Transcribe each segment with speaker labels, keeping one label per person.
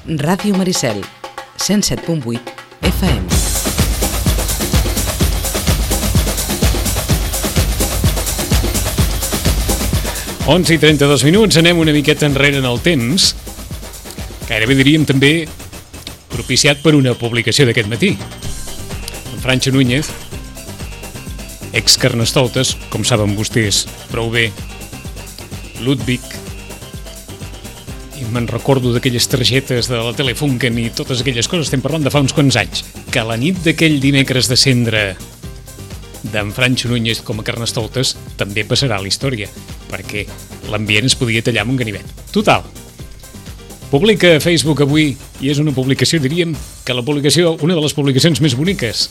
Speaker 1: Ràdio Maricel, 107.8 FM.
Speaker 2: Onze i 32 minuts, anem una miqueta enrere en el temps. Gairebé diríem també propiciat per una publicació d'aquest matí. En Francho Núñez, ex-Carnestoltes, com saben vostès prou bé, Ludwig, i me'n recordo d'aquelles targetes de la Telefunken i totes aquelles coses, estem parlant de fa uns quants anys, que a la nit d'aquell dimecres de cendre d'en Francho Núñez com a Carnestoltes també passarà a la història, perquè l'ambient es podia tallar amb un ganivet. Total, publica a Facebook avui, i és una publicació, diríem, que una de les publicacions més boniques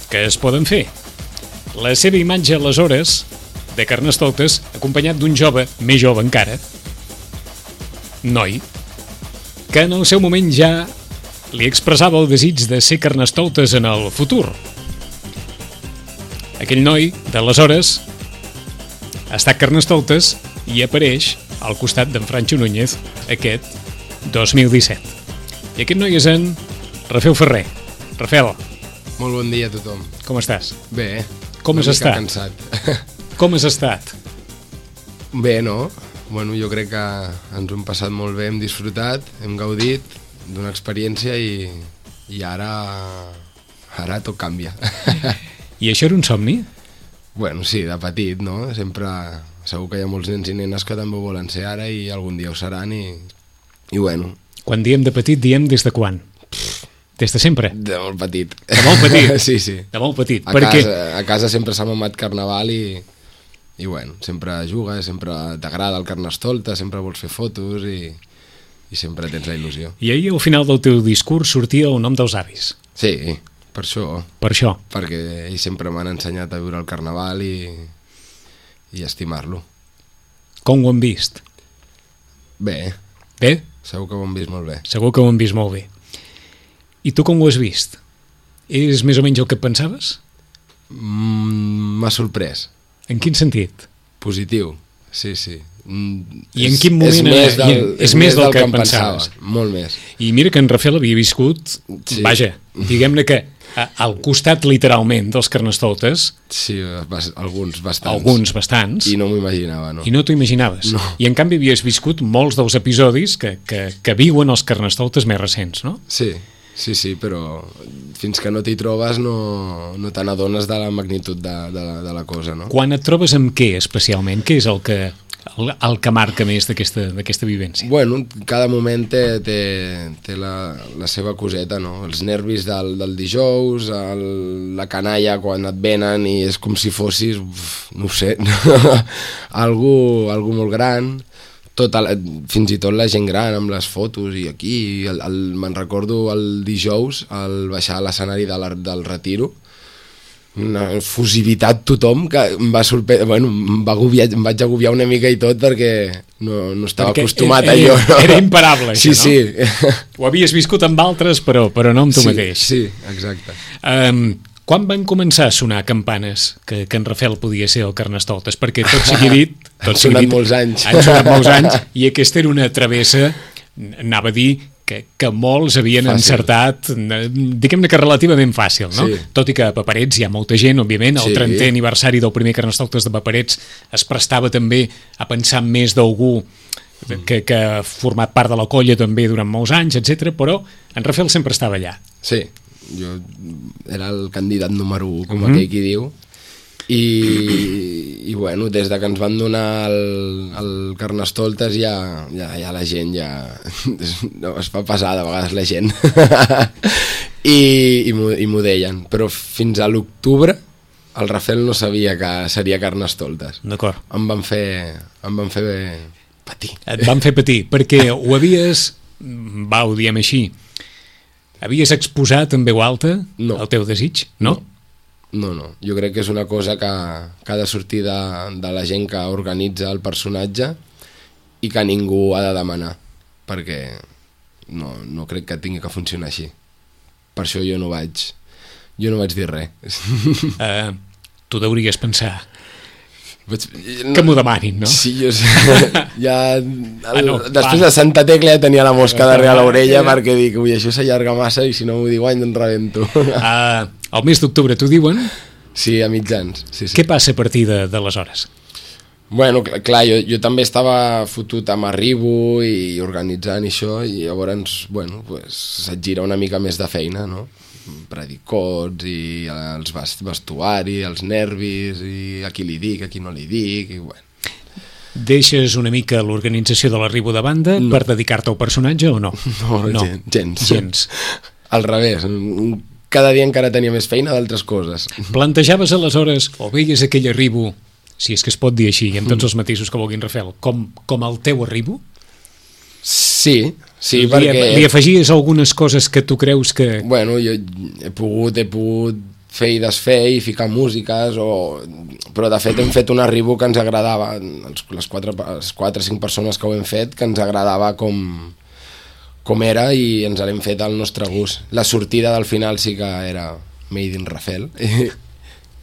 Speaker 2: que es poden fer. La seva imatge aleshores de Carnestoltes, acompanyat d'un jove, més jove encara, noi, que en el seu moment ja li expressava el desig de ser Carnestoltes en el futur. Aquell noi, d'aleshores, ha estat Carnestoltes i apareix al costat d'en Francho Núñez aquest 2017. I aquest noi és en Rafel Ferrer. Rafel.
Speaker 3: Molt bon dia a tothom.
Speaker 2: Com estàs?
Speaker 3: Bé.
Speaker 2: Com has estat?
Speaker 3: Cansat.
Speaker 2: Com has estat?
Speaker 3: Bé, no? Bueno, jo crec que ens ho hem passat molt bé, hem disfrutat, hem gaudit d'una experiència i ara tot canvia.
Speaker 2: I això era un somni?
Speaker 3: Bueno, sí, de petit, no? Sempre, segur que hi ha molts nens i nenes que també ho volen ser ara i algun dia ho seran i bueno.
Speaker 2: Quan diem de petit, diem des de quan? Des de sempre?
Speaker 3: De molt petit.
Speaker 2: De molt petit?
Speaker 3: Sí, sí.
Speaker 2: De molt petit.
Speaker 3: A casa sempre s'ha mamat carnaval i bueno, sempre jugues, sempre t'agrada el Carnestoltes, sempre vols fer fotos i sempre tens la il·lusió.
Speaker 2: I ahir al final del teu discurs sortia el nom dels avis.
Speaker 3: Sí, per això.
Speaker 2: Per això.
Speaker 3: Perquè ells sempre m'han ensenyat a viure el carnaval i estimar-lo.
Speaker 2: Com ho han vist?
Speaker 3: Bé.
Speaker 2: Bé?
Speaker 3: Segur que ho han vist molt bé.
Speaker 2: Segur que ho han vist molt bé. I tu com ho has vist? És més o menys el que et pensaves?
Speaker 3: M'ha sorprès.
Speaker 2: En quin sentit?
Speaker 3: Positiu, sí, sí.
Speaker 2: I en quin moment és més del que em pensaves?
Speaker 3: Molt més.
Speaker 2: I mira que en Rafel havia viscut, sí. Vaja, diguem-ne que al costat literalment dels Carnestoltes.
Speaker 3: Sí, alguns bastants.
Speaker 2: Alguns bastants.
Speaker 3: I no m'ho imaginava, no.
Speaker 2: I no t'ho imaginaves.
Speaker 3: No.
Speaker 2: I en canvi havies viscut molts dels episodis que viuen els Carnestoltes més recents, no?
Speaker 3: Sí. Sí, sí, però fins que no t'hi trobes no te n'adones de la magnitud de la cosa, no?
Speaker 2: Quan et trobes amb què, especialment? Què és el que marca més d'aquesta vivència?
Speaker 3: Bueno, cada moment té la seva coseta, no? Els nervis del dijous, la canalla quan et venen i és com si fossis, no ho sé, algú molt gran. Fins i tot la gent gran amb les fotos i aquí, me'n recordo el dijous al baixar a l'escenari del Retiro, una efusivitat tothom que em va sorprendre, bueno, em vaig agobiar una mica i tot perquè no estava acostumat a allò.
Speaker 2: Era imparable, això,
Speaker 3: sí,
Speaker 2: no?
Speaker 3: Sí.
Speaker 2: Ho havies viscut amb altres, però no amb tu mateix.
Speaker 3: Sí, exacte.
Speaker 2: Quan van començar a sonar campanes que en Rafel podia ser el Carnestoltes? Perquè tot sigui dit...
Speaker 3: Han sonat molts anys.
Speaker 2: Han sonat molts anys, i aquesta era una travessa, anava a dir, que molts havien encertat, diguem-ne que relativament fàcil, no? Sí. Tot i que a Paperets hi ha molta gent, òbviament, el 30è aniversari del primer Carnestoltes de Paperets es prestava també a pensar més d'algú que ha format part de la colla també durant molts anys, etc. Però en Rafel sempre estava allà.
Speaker 3: Sí. Jo era el candidat número 1, com aquell qui diu, i bueno, des de que ens van donar el Carnestoltes ja la gent es fa passar de vegades la gent i m'ho deien, però fins a l'octubre el Rafel no sabia que seria Carnestoltes.
Speaker 2: D'acord.
Speaker 3: Em van fer patir.
Speaker 2: Et van fer patir, perquè ho havies, ho diem així, havies exposat en veu alta el teu desig? No?
Speaker 3: No. Jo crec que és una cosa que ha de sortir de la gent que organitza el personatge i que ningú ha de demanar, perquè no crec que tingui que funcionar així. Per això jo no vaig dir res.
Speaker 2: Tu deuries pensar, Que m'ho demanin, no?
Speaker 3: Sí, jo sé. Ja, després
Speaker 2: va.
Speaker 3: de Santa Tecla ja tenia la mosca darrere l'orella perquè dic, ui, això s'allarga massa i si no m'ho diu any, em rebento.
Speaker 2: Al mes d'octubre t'ho diuen?
Speaker 3: Sí, a mitjans. Sí.
Speaker 2: Què passa a partir d'aleshores?
Speaker 3: Bueno, clar, jo també estava fotut amb Arribo i organitzant això i llavors, bueno, pues, se't gira una mica més de feina, no? Predicots i els vestuari, els nervis i a qui li dic, a qui no li dic i bueno.
Speaker 2: Deixes una mica l'organització de l'Arribo de banda per dedicar-te al personatge o no?
Speaker 3: No. Gens. Al revés, cada dia encara tenia més feina d'altres coses.
Speaker 2: Plantejaves aleshores, o veies aquell Arribo, si és que es pot dir així, amb tots els matisos que vulguin, Rafael, com el teu Arribo?
Speaker 3: Sí, perquè...
Speaker 2: Li afegies algunes coses que tu creus que...
Speaker 3: Bueno, jo he pogut fer i desfer i ficar músiques, però de fet hem fet un Arribo que ens agradava, les 4 o 5 persones que ho hem fet, que ens agradava com era i ens l'hem fet al nostre gust. La sortida del final sí que era Made in Rafael.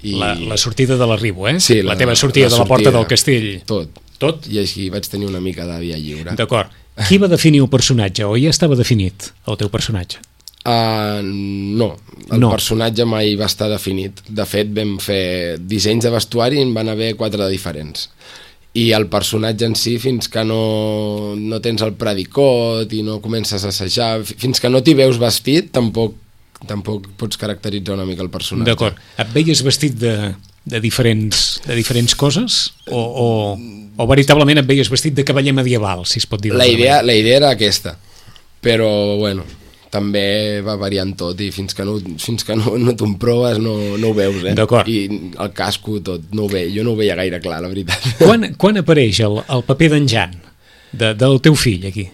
Speaker 2: La sortida de l'Arribo, eh?
Speaker 3: Sí,
Speaker 2: la teva sortida de la porta del castell.
Speaker 3: Tot. I així vaig tenir una mica de via lliure.
Speaker 2: D'acord. Qui va definir el personatge? O ja estava definit, el teu personatge?
Speaker 3: No, el personatge mai va estar definit. De fet, vam fer dissenys de vestuari i en van haver 4 de diferents. I el personatge en si, fins que no tens el predicot i no comences a assajar, fins que no t'hi veus vestit, tampoc pots caracteritzar una mica el personatge.
Speaker 2: D'acord. Et veies vestit de diferents coses? O veritablement et veies vestit de cavaller medieval, si es pot dir?
Speaker 3: La idea era aquesta, però bueno, també va variant tot i fins que no t'ho proves no ho veus, eh?
Speaker 2: D'acord.
Speaker 3: I el casco tot, jo no ho veia gaire clar, la veritat.
Speaker 2: Quan apareix el paper d'en Jan, del teu fill, aquí?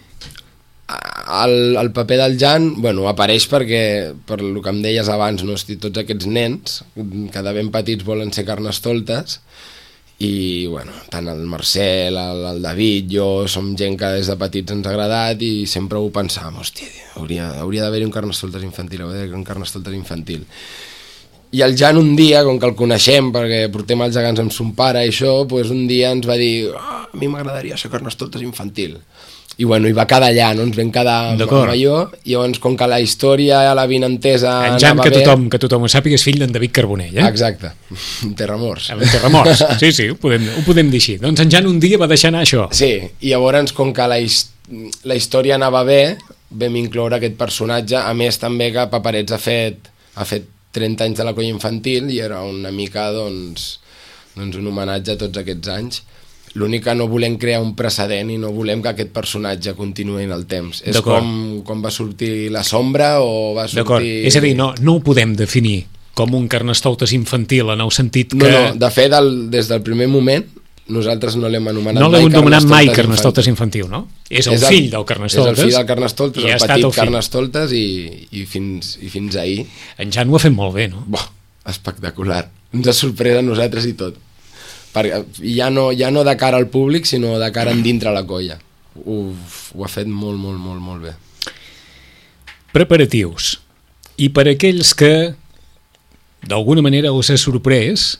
Speaker 3: El paper del Jan, bueno, apareix perquè, per el que em deies abans, no? Tots aquests nens, que de ben petits volen ser carnestoltes, i bueno, tant el Marcel, el David, jo som gent que des de petits ens ha agradat i sempre ho pensàvem, hòstia, hauria d'haver-hi un carnestoltes infantil. I el Jan un dia, com que el coneixem perquè portem els gegants amb son pare i això, doncs un dia ens va dir, a mi m'agradaria ser carnestoltes infantil. I bueno, hi va quedar allà, no? Ens vam quedar amb allò, i llavors com que la història, la vinentesa
Speaker 2: en Jan, que tothom ho sàpiga, és fill d'en David Carbonell, eh?
Speaker 3: Exacte, Terramors.
Speaker 2: Sí, ho podem dir així. Doncs en Jan un dia va deixar anar això.
Speaker 3: Sí, i llavors com que la història anava bé, vam incloure aquest personatge, a més també que Paperets ha fet 30 anys de la colla infantil i era una mica doncs un homenatge a tots aquests anys. L'únic que no volem crear un precedent i no volem que aquest personatge continuï en el temps. És com va sortir La Sombra o va sortir...
Speaker 2: D'acord, és a dir, no ho podem definir com un carnestoltes infantil en el sentit que...
Speaker 3: No, de fet, des del primer moment nosaltres no l'hem anomenat
Speaker 2: mai carnestoltes. No l'hem anomenat mai carnestoltes infantil, no? És el fill del carnestoltes.
Speaker 3: És el fill del carnestoltes, el petit carnestoltes i fins ahir.
Speaker 2: En Jan ho ha fet molt bé, no?
Speaker 3: Espectacular. Ens ha sorprès a nosaltres i tot. Ja no de cara al públic, sinó de cara endintre la colla. Ho ha fet molt, molt, molt, molt bé.
Speaker 2: Preparatius. I per aquells que d'alguna manera us ha sorprès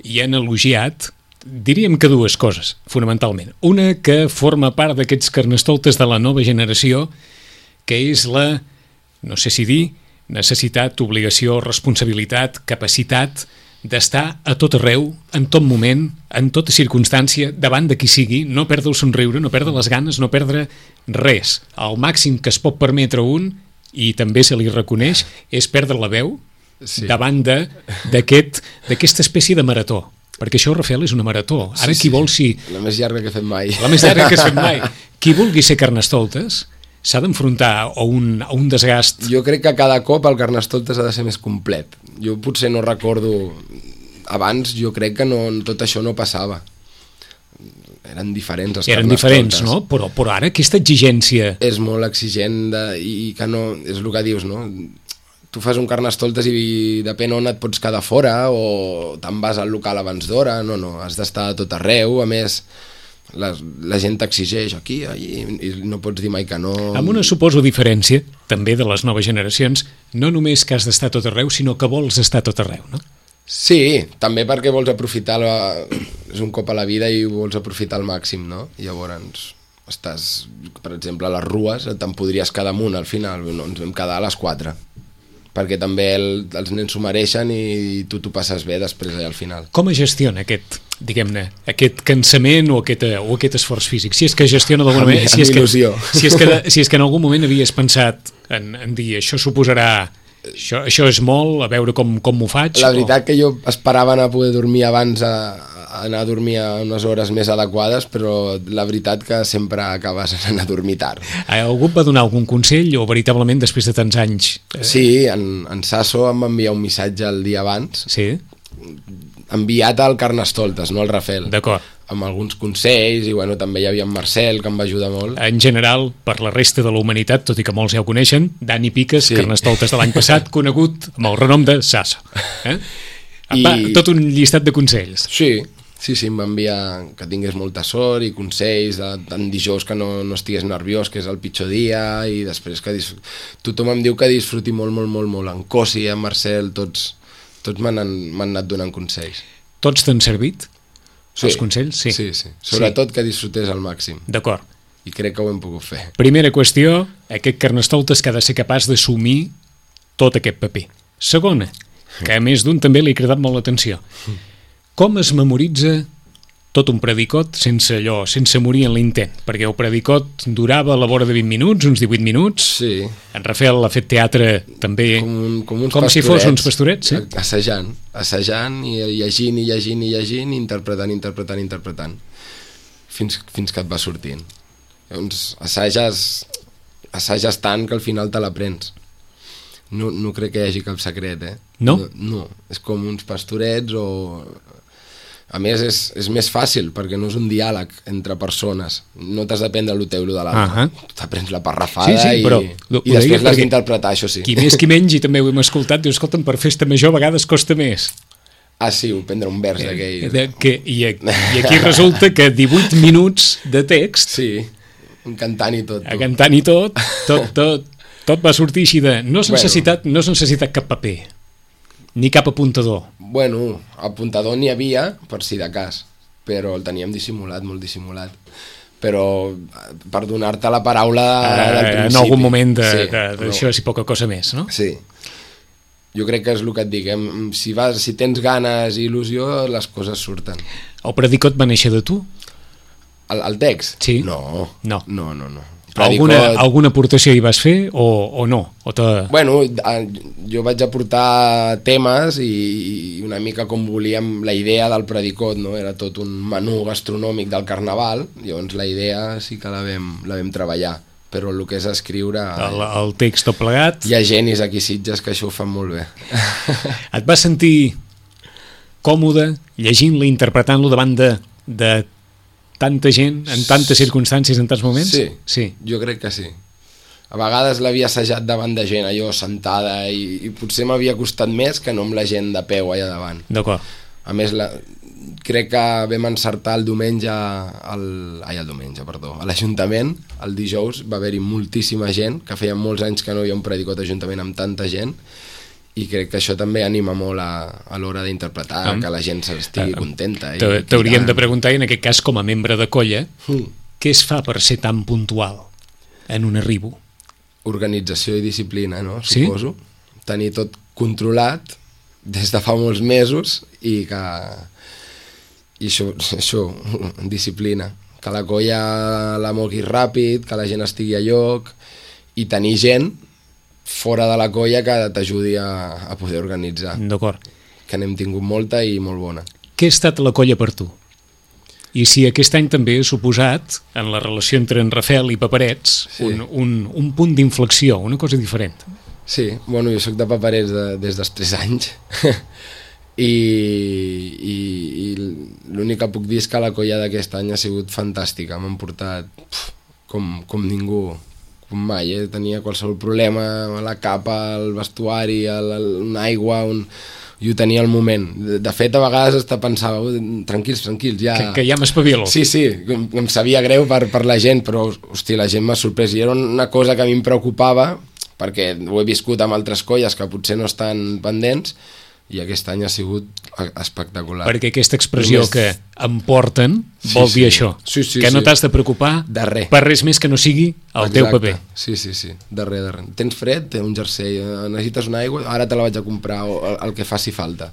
Speaker 2: i han elogiat, diríem que 2 coses, fonamentalment. Una que forma part d'aquests carnestoltes de la nova generació, que és la, no sé si dir, necessitat, obligació, responsabilitat, capacitat d'estar a tot arreu, en tot moment, en tota circumstància, davant de qui sigui, no perdre el somriure, no perdre les ganes, no perdre res. El màxim que es pot permetre un, i també se li reconeix, és perdre la veu davant d'aquesta espècie de marató. Perquè això, Rafael, és una marató. Ara qui vol si...
Speaker 3: La més llarga que he fet mai.
Speaker 2: La més llarga que he fet mai. Qui vulgui ser carnestoltes s'ha d'enfrontar a un desgast.
Speaker 3: Jo crec que cada cop el carnestoltes ha de ser més complet. Jo potser no recordo... Abans jo crec que tot això no passava. Eren diferents els carnestoltes.
Speaker 2: Eren diferents, no? Però ara aquesta exigència...
Speaker 3: És molt exigent i que no... És el que dius, no? Tu fas un carnestoltes i depèn on et pots quedar fora o te'n vas al local abans d'hora. No, has d'estar a tot arreu. A més... La gent t'exigeix aquí, allí, i no pots dir mai que no.
Speaker 2: Amb una, suposo, diferència, també de les noves generacions, no només que has d'estar tot arreu, sinó que vols estar tot arreu, no?
Speaker 3: Sí, també perquè vols aprofitar, és un cop a la vida i ho vols aprofitar al màxim, no? Llavors estàs, per exemple, a les rues, te'n podries quedar amunt al final, no, ens vam quedar a les 4, perquè també els nens s'ho mereixen i tu t'ho passes bé després allà al final.
Speaker 2: Com es gestiona aquest, diguem-ne, aquest cansament o aquest esforç físic? Si és que gestiona d'alguna manera...
Speaker 3: Amb il·lusió.
Speaker 2: Si és que en algun moment havies pensat en dir això suposarà... Això és molt, a veure com m'ho faig?
Speaker 3: La veritat que jo esperava anar a poder dormir abans, anar a dormir a unes hores més adequades, però la veritat que sempre acabes anant a dormir tard.
Speaker 2: Algú et va donar algun consell o veritablement després de tants anys?
Speaker 3: Sí, en Sasso em va enviar un missatge el dia abans,
Speaker 2: Sí?
Speaker 3: enviat al Carnestoltes, no al Rafel.
Speaker 2: D'acord.
Speaker 3: Amb alguns consells, i bueno, també hi havia en Marcel, que em va ajudar molt.
Speaker 2: En general, per la resta de la humanitat, tot i que molts ja ho coneixen, Dani Piques,
Speaker 3: Sí.
Speaker 2: Carnestoltes de l'any passat, conegut amb el renom de Sasso. Tot un llistat de consells.
Speaker 3: Sí, em va enviar que tingués molta sort i consells, tant dijous que no estigués nerviós, que és el pitjor dia, i després que tothom em diu que disfruti molt. En Cosi, en Marcel, tots m'han anat donant consells.
Speaker 2: Tots t'han servit?
Speaker 3: Sí.
Speaker 2: Els consells? Sí.
Speaker 3: Sí. Sobretot que disfrutés al màxim.
Speaker 2: D'acord.
Speaker 3: I crec que ho hem pogut fer.
Speaker 2: Primera qüestió, aquest Carnestoltes que ha de ser capaç d'assumir tot aquest paper. Segona, que a més d'un també li ha cridat molt l'atenció. Com es memoritza tot un predicot sense morir en l'intent? Perquè el predicot durava a la vora de 20 minuts, uns 18 minuts.
Speaker 3: Sí. En
Speaker 2: Rafael ha fet teatre també com si fos uns pastorets, sí?
Speaker 3: Assajant i llegint, interpretant, fins que et va sortint. Llavors, assages tant que al final te l'aprens. No crec que hi hagi cap secret,
Speaker 2: No?
Speaker 3: No, és com uns pastorets o... A més, és més fàcil, perquè no és un diàleg entre persones. No t'has d'aprendre el teu, el de l'altre. T'aprens la parrafada i després l'has d'interpretar, això sí.
Speaker 2: Qui més qui menys, i també ho hem escoltat, diu, escolta'm, per festa major a vegades costa més.
Speaker 3: Ah, sí, prendre un vers d'aquell.
Speaker 2: I aquí resulta que 18 minuts de text...
Speaker 3: Sí, cantant i tot.
Speaker 2: Cantant i tot va sortir així de... No s'ha necessitat cap paper, ni cap apuntador.
Speaker 3: Bueno, apuntador n'hi havia, per si de cas, però el teníem dissimulat, molt dissimulat. Però per donar-te la paraula del principi.
Speaker 2: En algun moment d'això, si poca cosa més, no?
Speaker 3: Sí. Jo crec que és el que et dic, si tens ganes i il·lusió, les coses surten.
Speaker 2: El predicot va néixer de tu?
Speaker 3: El text?
Speaker 2: Sí.
Speaker 3: No.
Speaker 2: Alguna aportació hi vas fer o no?
Speaker 3: Bueno, jo vaig aportar temes i una mica com volíem la idea del predicot, no? Era tot un menú gastronòmic del carnaval, llavors la idea sí que la vam treballar, però el que és escriure...
Speaker 2: El text tot plegat...
Speaker 3: Hi ha genis aquí a Sitges que això ho fan molt bé.
Speaker 2: Et vas sentir còmode llegint-lo, interpretant-lo davant de tanta gent, en tantes circumstàncies, en tants moments?
Speaker 3: Sí, jo crec que sí. A vegades l'havia assajat davant de gent, allò sentada, i potser m'havia costat més que no amb la gent de peu allà davant.
Speaker 2: D'acord.
Speaker 3: A més, crec que vam encertar el diumenge, a l'Ajuntament, el dijous va haver-hi moltíssima gent, que feia molts anys que no hi havia un predicot d'Ajuntament amb tanta gent, i crec que això també anima molt a l'hora d'interpretar, que la gent estigui contenta.
Speaker 2: T'hauríem de preguntar, i en aquest cas, com a membre de colla, què es fa per ser tan puntual en un arribo?
Speaker 3: Organització i disciplina, no? Suposo. Tenir tot controlat des de fa molts mesos i això, disciplina. Que la colla la mogui ràpid, que la gent estigui a lloc i tenir gent fora de la colla que t'ajudi a poder organitzar.
Speaker 2: D'acord.
Speaker 3: Que n'hem tingut molta i molt bona.
Speaker 2: Què ha estat la colla per tu? I si aquest any també ha suposat, en la relació entre en Rafel i Paperets, un punt d'inflexió, una cosa diferent.
Speaker 3: Sí, bueno, jo soc de Paperets des dels 3 anys i l'únic que puc dir és que la colla d'aquest any ha sigut fantàstica. M'han portat com ningú, com mai, tenia qualsevol problema, la capa, el vestuari, una aigua, i ho tenia al moment. De fet, a vegades hasta pensava, tranquils, ja...
Speaker 2: Que ja m'espavilo.
Speaker 3: Sí, em sabia greu per la gent, però, hòstia, la gent m'ha sorprès. I era una cosa que a mi em preocupava, perquè ho he viscut amb altres colles que potser no estan pendents, i aquest any ha sigut espectacular.
Speaker 2: Perquè aquesta expressió que em porten vol dir això, que no t'has de preocupar per res més que no sigui el teu paper.
Speaker 3: Sí, de res. Tens fred, té un jersei, necessites una aigua, ara te la vaig a comprar, o el que faci falta.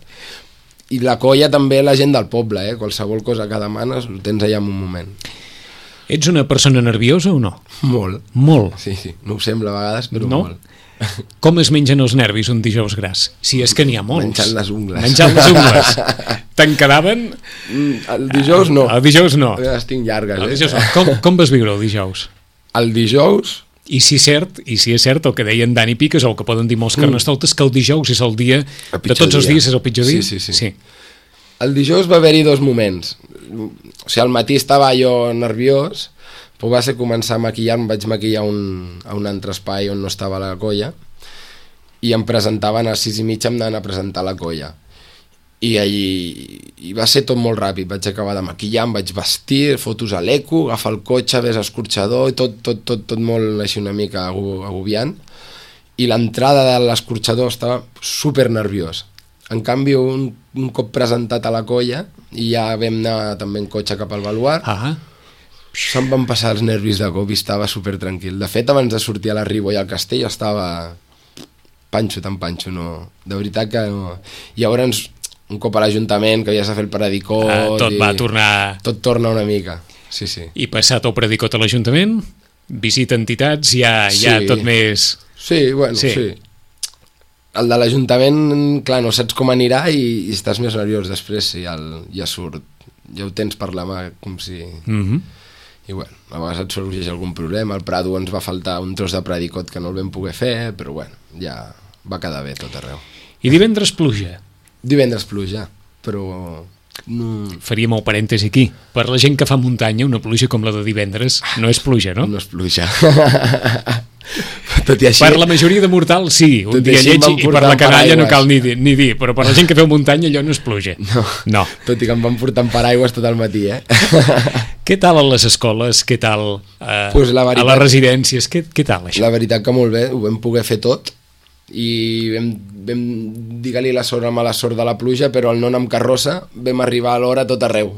Speaker 3: I la colla també, la gent del poble, qualsevol cosa que demanes ho tens allà en un moment.
Speaker 2: Ets una persona nerviosa o no?
Speaker 3: Molt.
Speaker 2: Molt?
Speaker 3: Sí, no ho sembla a vegades, però
Speaker 2: no? Molt. Com es mengen els nervis un dijous gras? Si és que n'hi ha molts.
Speaker 3: Menjant les ungles.
Speaker 2: Menjant les ungles. Te'n quedaven?
Speaker 3: El dijous no.
Speaker 2: El dijous no.
Speaker 3: Les tinc llargues.
Speaker 2: Dijous no. Com vas viure el dijous?
Speaker 3: El dijous...
Speaker 2: I si és cert el que deien Dani Piques, o el que poden dir molts carnestoltes, que el dijous és el dia, de tots els dies és el pitjor dia?
Speaker 3: Sí. El dijous va haver-hi dos moments. O sigui, al matí estava jo nerviós, però va ser començar a maquillar, em vaig maquillar a un altre espai on no estava la colla, i em presentaven a les 6:30, em anaven a presentar la colla. I allí va ser tot molt ràpid, vaig acabar de maquillar, em vaig vestir, fotos a l'eco, agafar el cotxe, ves escorxador, i tot molt així una mica agobiant, i l'entrada de l'escorxador estava super nerviós. En canvi, un cop presentat a la colla, i ja vam anar també en cotxe cap al baluart, se'm van passar els nervis de cop i estava super tranquil. De fet, abans de sortir a la Ribo i al castell estava panxo, no. De veritat que no. I llavors, un cop a l'Ajuntament, que havies de fer el predicot... Tot torna una mica, sí.
Speaker 2: I passat el predicot a l'Ajuntament, visita entitats, ja tot més...
Speaker 3: Sí. El de l'Ajuntament, clar, no saps com anirà i estàs més nerviós després, sí, ja surt. Ja ho tens per la mà, com si... I bueno, a vegades et sorgeix algun problema. Al Prado ens va faltar un tros de predicot que no el vam poder fer, però bueno, ja va quedar bé tot arreu.
Speaker 2: I divendres pluja?
Speaker 3: Divendres pluja, però...
Speaker 2: Faríem el parèntesi aquí. Per la gent que fa muntanya, una pluja com la de divendres no és pluja, no?
Speaker 3: No és pluja. Tot i així...
Speaker 2: Per la majoria de mortals, sí, un dia lleig, i per la canalla no cal ni dir, però per la gent que feu muntanya allò no és pluja. No.
Speaker 3: Tot i que em van portar en paraigües tot el matí,
Speaker 2: Què tal a les escoles? Què tal a les residències? Què tal això?
Speaker 3: La veritat que molt bé, ho vam poder fer tot, i vam dir-li la sort amb la sort de la pluja, però el non amb carrossa vam arribar a l'hora tot arreu.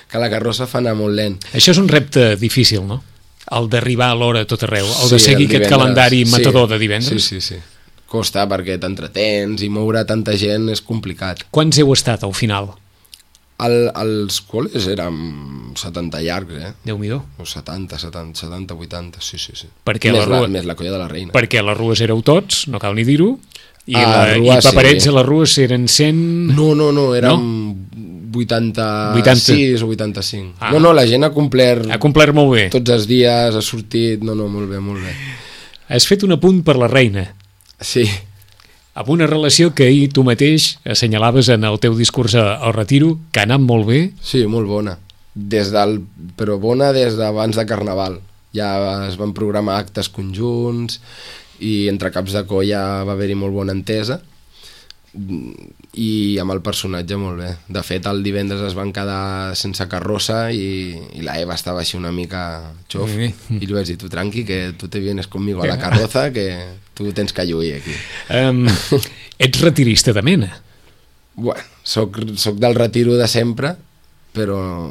Speaker 3: Que la carrossa fa anar molt lent.
Speaker 2: Això és un repte difícil, no? El d'arribar a l'hora tot arreu, el de seguir aquest calendari matador de divendres.
Speaker 3: Sí. Costa perquè t'entretens i moure tanta gent és complicat.
Speaker 2: Quants heu estat al final?
Speaker 3: Els col·les érem 70 llargs,
Speaker 2: Déu-n'hi-do.
Speaker 3: O 70, 80, sí.
Speaker 2: Perquè
Speaker 3: més la colla de la reina.
Speaker 2: Perquè a les rues éreu tots, no cal ni dir-ho, i paperets a les rues eren 100...
Speaker 3: No, érem 86 o 85. No, la gent ha complert...
Speaker 2: Ha complert molt bé.
Speaker 3: Tots els dies, ha sortit... No, molt bé.
Speaker 2: Has fet un apunt per la reina.
Speaker 3: Sí.
Speaker 2: Amb una relació que ahir tu mateix assenyalaves en el teu discurs al Retiro, que ha anat molt bé.
Speaker 3: Sí, molt bona. Però bona des d'abans de Carnaval. Ja es van programar actes conjunts i entre caps de colla va haver-hi molt bona entesa, i amb el personatge molt bé. De fet, el divendres es van quedar sense carrossa i la Eva estava així una mica xof, i li vaig dir, tu tranqui, que tu te vienes conmigo a la carroza, que tu tens que lluir aquí.
Speaker 2: Ets retirista de mena?
Speaker 3: Bueno, soc del retiro de sempre, però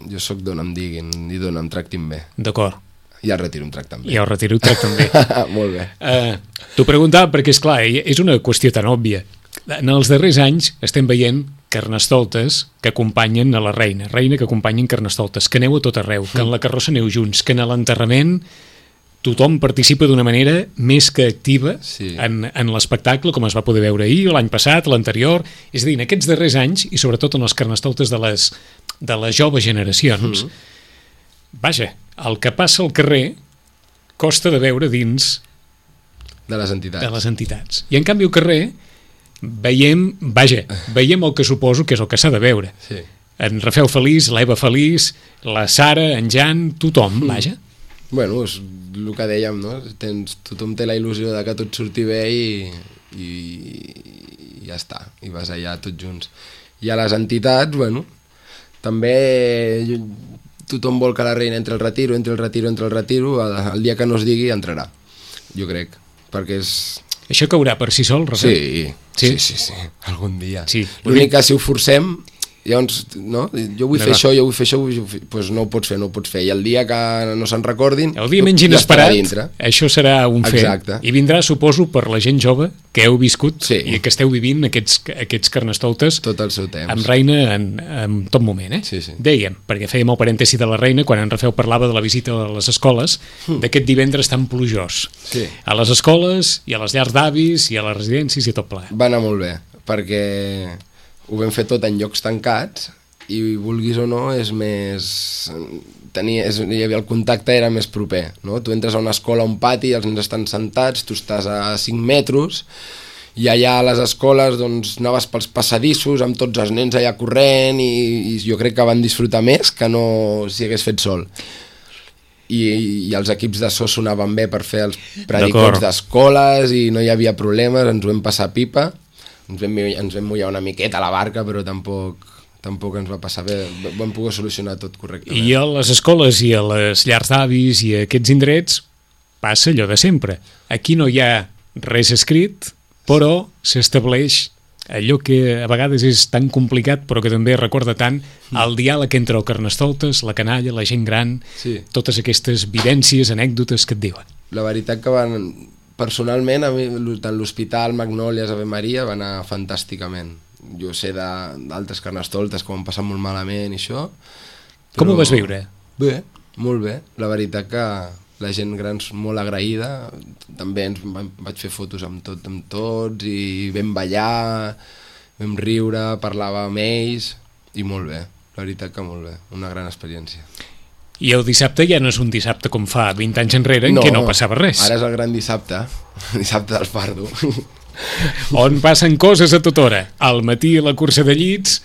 Speaker 3: jo soc d'on em diguin i d'on em tractin bé.
Speaker 2: D'acord.
Speaker 3: I el retiro em tracten bé.
Speaker 2: I el retiro et tracten bé.
Speaker 3: Molt bé.
Speaker 2: T'ho preguntava perquè, esclar, és una qüestió tan òbvia. En els darrers anys estem veient carnestoltes que acompanyen a la reina que acompanyen carnestoltes, que aneu a tot arreu, que en la carrossa aneu junts, que en l'enterrament tothom participa d'una manera més que activa en l'espectacle, com es va poder veure ahir, l'any passat, l'anterior. És a dir, en aquests darrers anys, i sobretot en els carnestoltes de les joves generacions, vaja, el que passa al carrer costa de veure dins
Speaker 3: de les entitats.
Speaker 2: I en canvi al carrer veiem el que suposo que és el que s'ha de veure.
Speaker 3: Sí.
Speaker 2: En Rafel feliç, l'Eva feliç, la Sara, en Jan, tothom, vaja.
Speaker 3: Bueno, és el que dèiem, no? Tothom té la il·lusió de que tot surti bé i ja està, i vas allà tots junts. I a les entitats, bueno, també tothom vol que la reina entre el retiro, el dia que no es digui entrarà, jo crec, perquè
Speaker 2: Això caurà per si sol, Rafael?
Speaker 3: Sí. Algun dia.
Speaker 2: Sí.
Speaker 3: L'únic que si ho forcem, llavors, no? Jo vull fer això, doncs no ho pots fer. I el dia que no se'n recordin,
Speaker 2: el dia menys inesperat, això serà un fet. Exacte. I vindrà, suposo, per la gent jove que heu viscut i que esteu vivint aquests carnestoltes
Speaker 3: tot el seu temps.
Speaker 2: Amb Reina en tot moment,
Speaker 3: Sí.
Speaker 2: Dèiem, perquè fèiem el parèntesi de la Reina quan en Rafael parlava de la visita a les escoles d'aquest divendres tan plujós.
Speaker 3: Sí.
Speaker 2: A les escoles i a les llars d'avis i a les residències i tot ple.
Speaker 3: Va anar molt bé, perquè ho vam fer tot en llocs tancats i vulguis o no és més... hi havia el contacte era més proper, no? Tu entres a una escola, a un pati, els nens estan sentats, tu estàs a 5 metres i allà a les escoles doncs anaves pels passadissos amb tots els nens allà corrent i jo crec que van disfrutar més que no si hagués fet sol. I els equips de so sonaven bé per fer els predicots d'escoles i no hi havia problemes, ens ho vam passar pipa. Ens vam mullar una miqueta a la barca, però tampoc ens va passar bé, vam poder solucionar tot correctament.
Speaker 2: I a les escoles i a les llars d'avis i a aquests indrets passa allò de sempre. Aquí no hi ha res escrit, però s'estableix allò que a vegades és tan complicat però que també recorda tant el diàleg entre el carnestoltes, la canalla, la gent gran, totes aquestes vivències, anècdotes que et diuen.
Speaker 3: La veritat que personalment, a mi, tant l'Hospital, Magnòlies, Ave Maria, va anar fantàsticament. Jo sé d'altres carnestoltes que ho han passat molt malament i això.
Speaker 2: Com ho vas viure?
Speaker 3: Bé, molt bé. La veritat que la gent gran és molt agraïda. També vaig fer fotos amb tots i vam ballar, vam riure, parlava amb ells i molt bé. La veritat que molt bé. Una gran experiència.
Speaker 2: I el dissabte ja no és un dissabte com fa 20 anys enrere en què no passava res.
Speaker 3: Ara és el gran dissabte, dissabte del fardo.
Speaker 2: On passen coses a tota hora. Al matí la cursa de llits,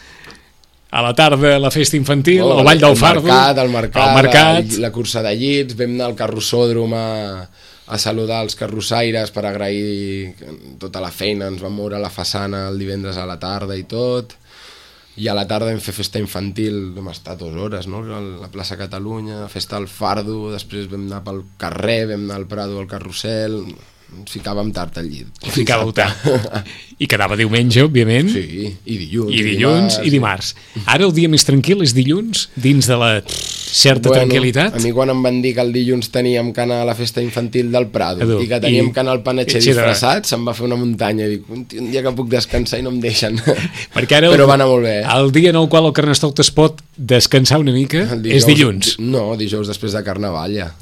Speaker 2: a la tarda la festa infantil, el ball del fardo,
Speaker 3: el mercat, la cursa de llits, vam anar al carrossòdrom a saludar els carrossaires per agrair tota la feina, ens vam moure a la façana el divendres a la tarda i tot. I a la tarda vam fer festa infantil, vam estar 2 hores, no? A la plaça Catalunya, festa al Fardo, després vam anar pel carrer, vam anar al Prado al carrusel, ens ficàvem tard al llit.
Speaker 2: Ficàveu tard. I quedava diumenge, òbviament.
Speaker 3: Sí, i dilluns.
Speaker 2: I dilluns i dimarts. Ara el dia més tranquil és dilluns, dins de la certa tranquil·litat?
Speaker 3: A mi quan em van dir que el dilluns teníem que anar a la festa infantil del Prado i que teníem que anar al Panatxer disfressat, se'm va fer una muntanya. Dic, un dia que puc descansar i no em deixen. Però va anar molt bé.
Speaker 2: El dia en el qual el carnestoltes pot descansar una mica és dilluns.
Speaker 3: No, dijous després de Carnaval ja.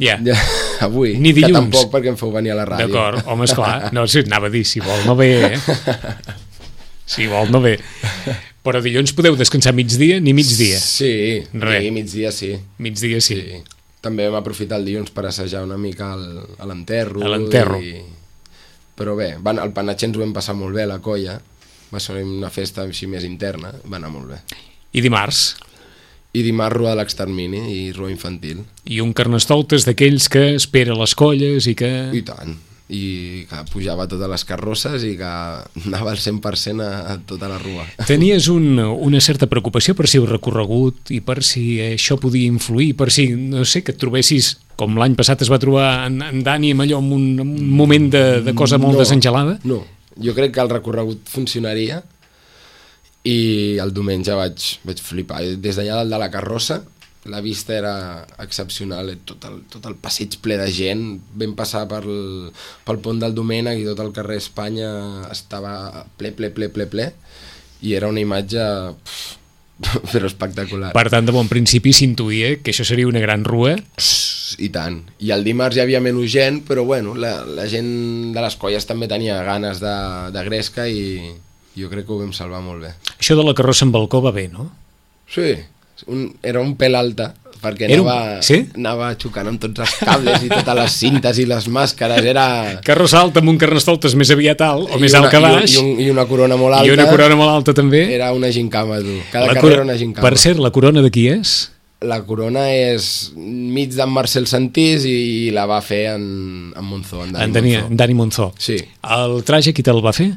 Speaker 3: Avui.
Speaker 2: Ni dilluns.
Speaker 3: Que tampoc perquè em feu venir a la ràdio.
Speaker 2: D'acord, home, esclar. No, anava a dir, si vol no ve, Si vol no ve. Però dilluns podeu descansar migdia ni migdia?
Speaker 3: Sí, migdia sí.
Speaker 2: Migdia sí.
Speaker 3: També vam aprofitar el dilluns per assajar una mica a l'enterro.
Speaker 2: A l'enterro.
Speaker 3: Però bé, el Panatxer ens ho vam passar molt bé, la colla. Va ser una festa així més interna, va anar molt bé.
Speaker 2: I dimarts?
Speaker 3: I dimarts rua de l'extermini i rua infantil.
Speaker 2: I un carnestoltes d'aquells que espera les colles i que...
Speaker 3: I tant. I que pujava a totes les carrosses i que anava al 100% a tota la rua.
Speaker 2: Tenies una certa preocupació per si heu recorregut i per si això podia influir, per si, no sé, que et trobessis, com l'any passat es va trobar en Dani amb allò, en un moment de cosa molt desengelada?
Speaker 3: No, jo crec que el recorregut funcionaria i el diumenge vaig flipar. Des d'allà dalt de la carrossa la vista era excepcional, tot el passeig ple de gent. Vam passar pel pont del Domènec i tot el carrer Espanya estava ple i era una imatge però espectacular.
Speaker 2: Per tant, de bon principi s'intuïa que això seria una gran rua.
Speaker 3: I tant. I el dimarts hi havia menys gent, però bueno, la gent de les colles també tenia ganes de gresca i jo crec que ho vam salvar molt bé.
Speaker 2: Això de la carrossa en balcó va bé, no?
Speaker 3: Sí, era un pèl alta perquè anava xocant amb tots els cables i totes les cintes i les màscares.
Speaker 2: Carrossa alta amb un carnestoltes més aviat alt o més alt que baix
Speaker 3: i una corona molt alta.
Speaker 2: I una corona molt alta també.
Speaker 3: Era una gincama, tu. Cada carrer era una gincama.
Speaker 2: Per cert, la corona de qui és?
Speaker 3: La corona és mig d'en Marcel Santís i la va fer en Monzó, en
Speaker 2: Dani Monzó.
Speaker 3: Sí.
Speaker 2: El traje qui te'l va fer?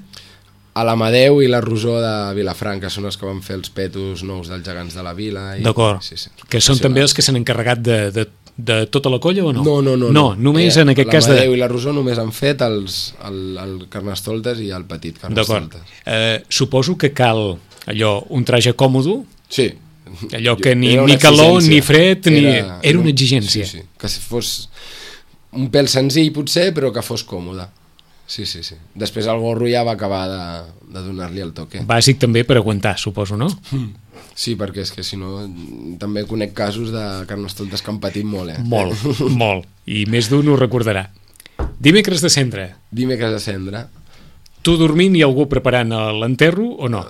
Speaker 3: A l'Amadeu i la Rosó de Vilafranca són els que van fer els petos nous dels gegants de la vila.
Speaker 2: D'acord, que són també els que s'han encarregat de de tota la colla o no?
Speaker 3: No.
Speaker 2: No, només en aquest cas de...
Speaker 3: L'Amadeu i la Rosó només han fet el Carnestoltes i el petit Carnestoltes.
Speaker 2: D'acord. Suposo que cal allò, un traje còmodo,
Speaker 3: Sí.
Speaker 2: allò que ni calor, ni fred, era una exigència.
Speaker 3: Sí. Que fos un pèl senzill potser, però que fos còmode. Sí. Després el gorro ja va acabar de donar-li el toque.
Speaker 2: Bàsic també per aguantar, suposo, no?
Speaker 3: Sí, perquè és que si no també conec casos de Carnestoltes que han patit molt,
Speaker 2: Molt. I més d'un ho recordarà. Dimecres de cendre.
Speaker 3: Dimecres de cendre.
Speaker 2: Tu dormint i algú preparant l'enterro o no?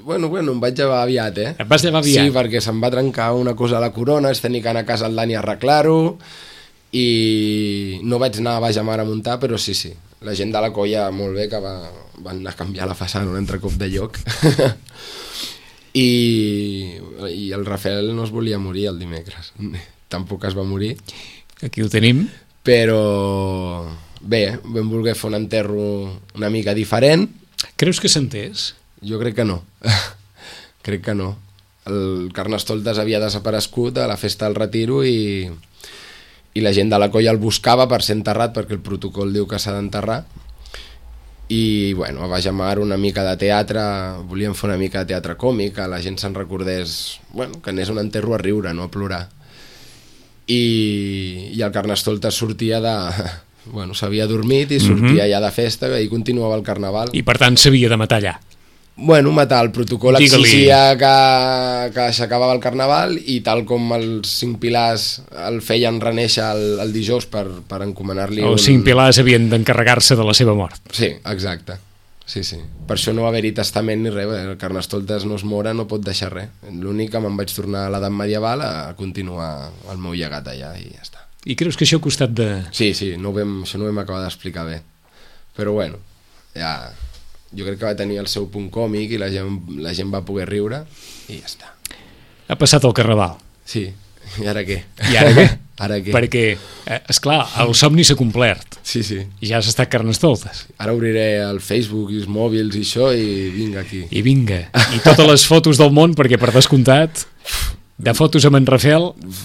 Speaker 3: Bueno, em vaig llevar aviat,
Speaker 2: Et vas llevar aviat?
Speaker 3: Sí, perquè se'm va trencar una cosa a la corona, es tenia que anar a casa el Dani a arreglar-ho, i no vaig anar a Baix a Mar a muntar, però sí. La gent de la colla, molt bé, que van anar a canviar la façana un altre cop de lloc. I el Rafael no es volia morir el dimecres. Tampoc es va morir.
Speaker 2: Aquí ho tenim.
Speaker 3: Però bé, vam voler fer un enterro una mica diferent.
Speaker 2: Creus que s'entès?
Speaker 3: Jo crec que no. Crec que no. El Carnestoltes havia desaparegut a la festa del retiro i la gent de la colla el buscava per ser enterrat, perquè el protocol diu que s'ha d'enterrar. I bueno, a Baix a Mar una mica de teatre, volíem fer una mica de teatre còmic, que la gent se'n recordés, bueno, que anés un enterro a riure, no a plorar. I el Carnestoltes sortia de... Bueno, s'havia dormit i sortia ja de festa i continuava el carnaval.
Speaker 2: I per tant s'havia de matar allà.
Speaker 3: Bueno, matar, el protocol exigia que s'acabava el carnaval i tal com els 5 pilars el feien renéixer el dijous per encomanar-li...
Speaker 2: Els 5 pilars havien d'encarregar-se de la seva mort.
Speaker 3: Sí, exacte. Sí. Per això no va haver-hi testament ni res, el Carnestoltes no es mora, no pot deixar res. L'únic que me'n vaig tornar a l'edat medieval a continuar el meu llegat allà i ja està.
Speaker 2: I creus que això ha costat de...
Speaker 3: Sí, això no ho vam acabar d'explicar bé. Però bueno, ja... Jo crec que va tenir el seu punt còmic i la gent va poder riure i ja està.
Speaker 2: Ha passat el carnaval.
Speaker 3: Sí, i ara què?
Speaker 2: I ara què?
Speaker 3: Ara què?
Speaker 2: Perquè, esclar, el somni s'ha complert.
Speaker 3: Sí.
Speaker 2: I ja has estat Carnestoltes.
Speaker 3: Ara obriré el Facebook i els mòbils i això i vinga aquí.
Speaker 2: I vinga. I totes les fotos del món, perquè per descomptat... De fotos amb en Rafael...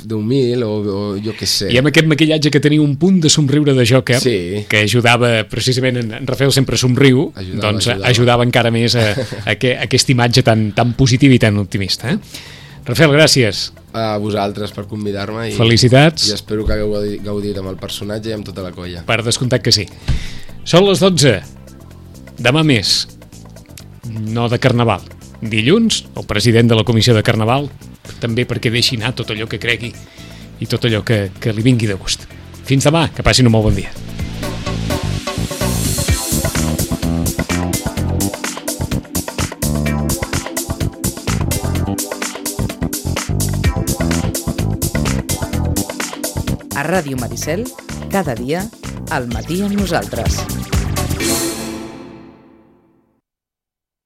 Speaker 3: d'1.000 o jo què sé.
Speaker 2: I amb aquest maquillatge que tenia un punt de somriure de Joker,
Speaker 3: sí.
Speaker 2: Que ajudava, precisament, en Rafael sempre somriu, ajudava encara més a aquesta imatge tan positiva i tan optimista. Rafael, gràcies.
Speaker 3: A vosaltres per convidar-me.
Speaker 2: Felicitats.
Speaker 3: I espero que hagueu gaudit amb el personatge i amb tota la colla.
Speaker 2: Per descomptat que sí. Són les 12. Demà més. No de Carnaval. Dilluns, el president de la comissió de Carnaval, també perquè deixi anar tot allò que cregui i tot allò que li vingui de gust. Fins demà, que passin un molt bon dia.
Speaker 1: A Ràdio Maricel, cada dia, al matí amb nosaltres.